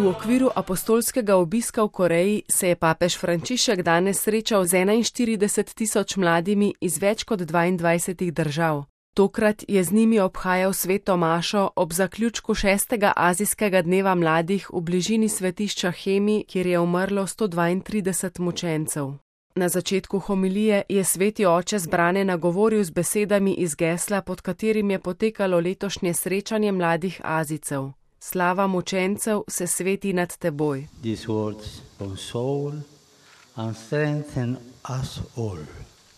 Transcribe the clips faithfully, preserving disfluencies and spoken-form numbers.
V okviru apostolskega obiska v Koreji se je papež Frančišek danes srečal z enainštirideset tisoč mladimi iz več kot dvaindvajsetih držav. Tokrat je z njimi obhajal sveto mašo ob zaključku šestega azijskega dneva mladih v bližini svetišča Hemi, kjer je umrlo sto dvaintrideset mučencev. Na začetku homilije je sveti oče zbrane nagovoril z besedami iz gesla, pod katerim je potekalo letošnje srečanje mladih Azijcev. Slava mučencev se sveti nad teboj.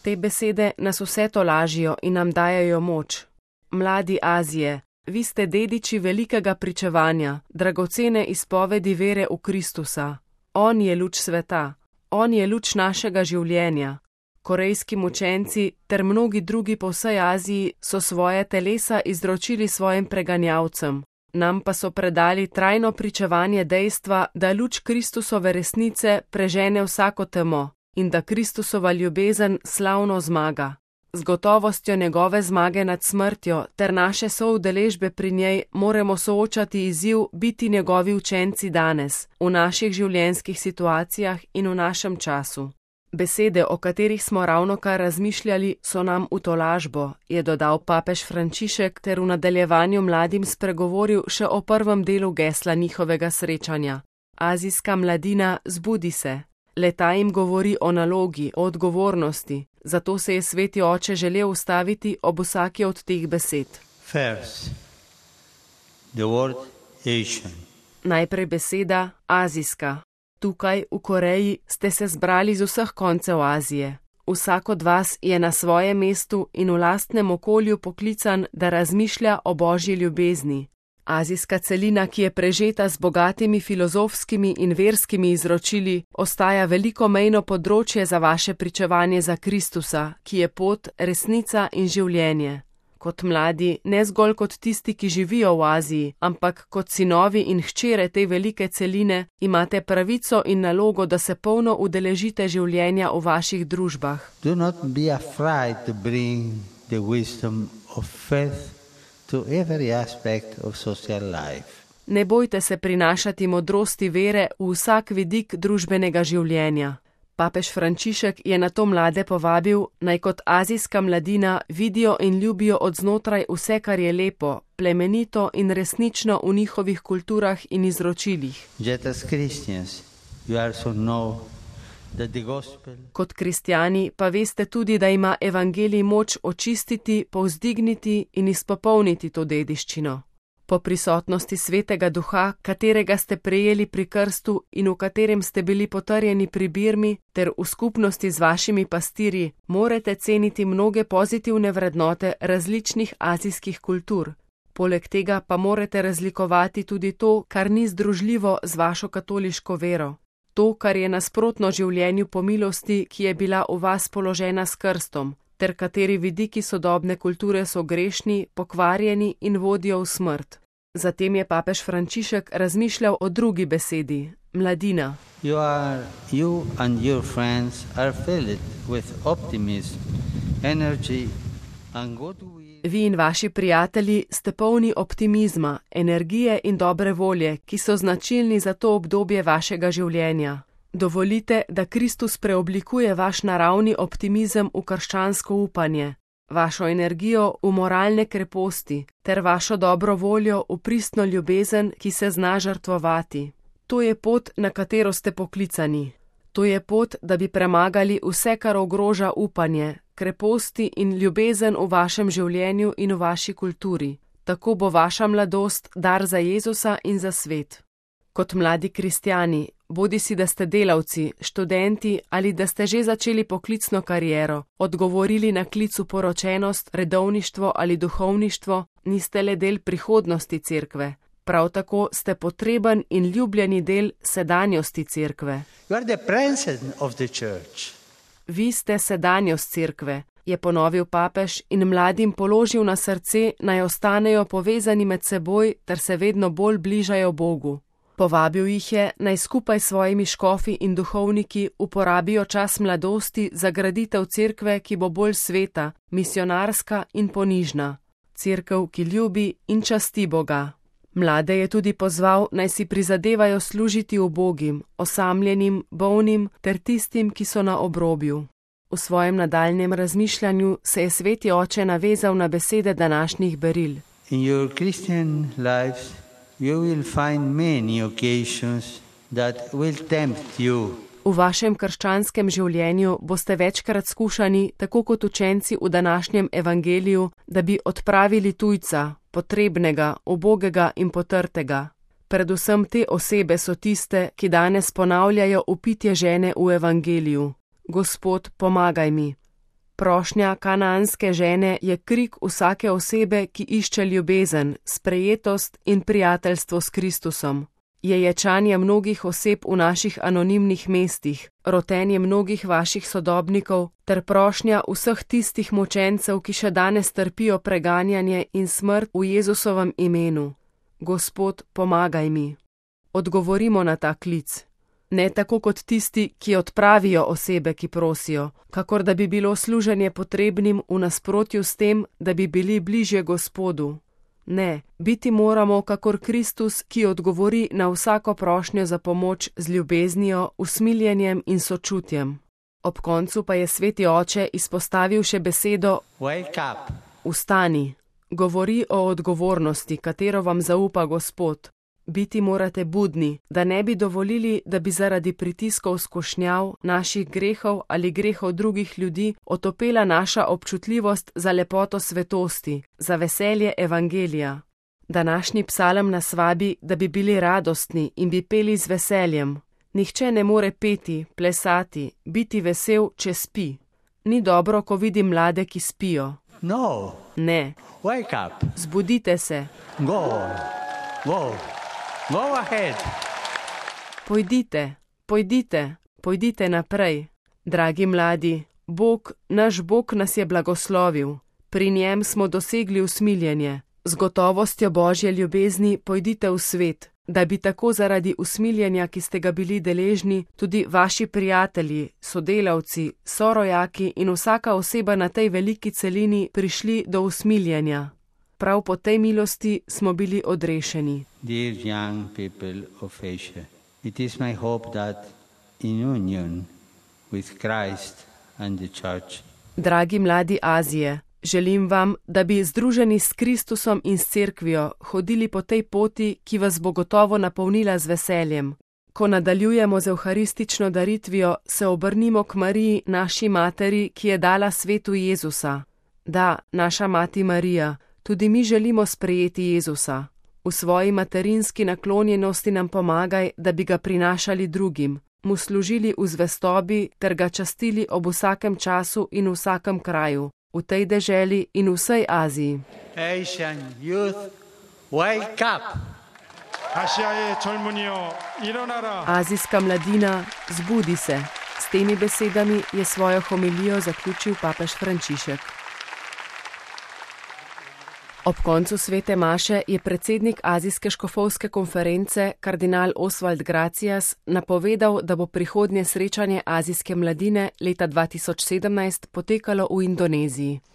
Te besede nas vse tolažijo in nam dajajo moč. Mladi Azije, vi ste dediči velikega pričevanja, dragocene izpovedi vere v Kristusa. On je luč sveta, on je luč našega življenja. Korejski mučenci ter mnogi drugi po vsej Aziji so svoje telesa izročili svojim preganjavcem. Nam pa so predali trajno pričevanje dejstva, da luč Kristusove resnice prežene vsako temo in da Kristusova ljubezen slavno zmaga. Z gotovostjo njegove zmage nad smrtjo ter naše soudeležbe pri njej moramo soočati izziv biti njegovi učenci danes, v naših življenjskih situacijah in v našem času. Besede, o katerih smo ravnokar razmišljali, so nam v tolažbo, je dodal papež Frančišek ter v nadaljevanju mladim spregovoril še o prvem delu gesla njihovega srečanja. Azijska mladina, zbudi se. Le-ta jim govori o nalogi, o odgovornosti, zato se je sveti oče želel ustaviti ob vsaki od teh besed. First, the word Asian. Najprej beseda azijska. Tukaj, v Koreji, ste se zbrali z vseh koncev Azije. Vsak od vas je na svojem mestu in v lastnem okolju poklican, da razmišlja o božji ljubezni. Azijska celina, ki je prežeta z bogatimi filozofskimi in verskimi izročili, ostaja veliko mejno področje za vaše pričevanje za Kristusa, ki je pot, resnica in življenje. Kot mladi, ne zgolj kot tisti, ki živijo v Aziji, ampak kot sinovi in hčere te velike celine, imate pravico in nalogo, da se polno udeležite življenja v vaših družbah. Do not be afraid to bring the wisdom of faith to every aspect of social life. Ne bojte se prinašati modrosti vere v vsak vidik družbenega življenja. Papež Frančišek je na to mlade povabil, naj kot azijska mladina vidijo in ljubijo od znotraj vse, kar je lepo, plemenito in resnično v njihovih kulturah in izročilih. Kot kristjani pa veste tudi, da ima evangelij moč očistiti, povzdigniti in izpopolniti to dediščino. Po prisotnosti svetega duha, katerega ste prejeli pri krstu in v katerem ste bili potrjeni pri birmi, ter v skupnosti z vašimi pastirji, morate ceniti mnoge pozitivne vrednote različnih azijskih kultur. Poleg tega pa morate razlikovati tudi to, kar ni združljivo z vašo katoliško vero. To, kar je nasprotno življenju po milosti, ki je bila v vas položena s krstom, ter kateri vidiki sodobne kulture so grešni, pokvarjeni in vodijo v smrt. Zatem je papež Frančišek razmišljal o drugi besedi, mladina. You are, you and your friends are filled with optimism, energy and goodwill. Vi in vaši prijatelji ste polni optimizma, energije in dobre volje, ki so značilni za to obdobje vašega življenja. Dovolite, da Kristus preoblikuje vaš naravni optimizem v krščansko upanje, vašo energijo v moralne kreposti, ter vašo dobro voljo v pristno ljubezen, ki se zna žrtvovati. To je pot, na katero ste poklicani. To je pot, da bi premagali vse, kar ogroža upanje, kreposti in ljubezen v vašem življenju in v vaši kulturi. Tako bo vaša mladost dar za Jezusa in za svet. Kot mladi kristjani, bodisi da ste delavci, študenti ali da ste že začeli poklicno kariero, odgovorili na klic v poročenost, redovništvo ali duhovništvo, niste le del prihodnosti cerkve. Prav tako ste potreben in ljubljeni del sedanjosti cerkve. Vi ste sedanjost cerkve, je ponovil papež in mladim položil na srce, naj ostanejo povezani med seboj ter se vedno bolj bližajo Bogu. Povabil jih je, naj skupaj s svojimi škofi in duhovniki uporabijo čas mladosti za graditev cerkve, ki bo bolj sveta, misionarska in ponižna. Cerkev, ki ljubi in časti Boga. Mlade je tudi pozval, naj si prizadevajo služiti ubogim, osamljenim, bolnim ter tistim, ki so na obrobju. V svojem nadaljnjem razmišljanju se je sveti oče navezal na besede današnjih beril. In your Christian lives you will find many occasions that will tempt you. V vašem krščanskem življenju boste večkrat skušani, tako kot učenci v današnjem evangeliju, da bi odpravili tujca, potrebnega, ubogega in potrtega. Predvsem te osebe so tiste, ki danes ponavljajo vpitje žene v evangeliju. Gospod, pomagaj mi. Prošnja kanaanske žene je krik vsake osebe, ki išče ljubezen, sprejetost in prijateljstvo s Kristusom. Je ječanje mnogih oseb v naših anonimnih mestih, rotenje mnogih vaših sodobnikov ter prošnja vseh tistih mučencev, ki še danes trpijo preganjanje in smrt v Jezusovem imenu. Gospod, pomagaj mi. Odgovorimo na ta klic. Ne tako kot tisti, ki odpravijo osebe, ki prosijo, kakor da bi bilo služenje potrebnim v nasprotju s tem, da bi bili bližje Gospodu. Ne, biti moramo kakor Kristus, ki odgovori na vsako prošnjo za pomoč z ljubeznijo, usmiljenjem in sočutjem. Ob koncu pa je sveti oče izpostavil še besedo Wake up. Vstani. Govori o odgovornosti, katero vam zaupa Gospod. Biti morate budni, da ne bi dovolili, da bi zaradi pritiskov skušnjav, naših grehov ali grehov drugih ljudi otopela naša občutljivost za lepoto svetosti, za veselje evangelija. Današnji psalem nas vabi, da bi bili radostni in bi peli z veseljem. Nihče ne more peti, plesati, biti vesel, če spi. Ni dobro, ko vidim mlade, ki spijo. No. Ne. Wake up. Zbudite se. Go. Go. Go ahead. Pojdite, pojdite, pojdite naprej. Dragi mladi, Bog, naš Bog nas je blagoslovil. Pri njem smo dosegli usmiljenje. Z gotovostjo Božje ljubezni pojdite v svet, da bi tako zaradi usmiljenja, ki ste ga bili deležni, tudi vaši prijatelji, sodelavci, sorojaki in vsaka oseba na tej veliki celini prišli do usmiljenja. Prav po tej milosti smo bili odrešeni. Dear young people of Asia, it is my hope that in union with Christ and the Church. Dragi mladi Azije, želim vam, da bi združeni s Kristusom in s cerkvijo hodili po tej poti, ki vas bo gotovo napolnila z veseljem. Ko nadaljujemo z evharistično daritvijo, se obrnimo k Mariji, naši materi, ki je dala svetu Jezusa. Da, naša mati Marija, tudi mi želimo sprejeti Jezusa. V svoji materinski naklonjenosti nam pomagaj, da bi ga prinašali drugim, mu služili v zvestobi ter ga častili ob vsakem času in vsakem kraju, v tej deželi in v vsej Aziji. Asian youth, wake up! Azijska mladina, zbudi se. S temi besedami je svojo homilijo zaključil papež Frančišek. Ob koncu svete maše je predsednik Azijske škofovske konference, kardinal Oswald Gracias, napovedal, da bo prihodnje srečanje azijske mladine leta dva tisoč sedemnajst potekalo v Indoneziji.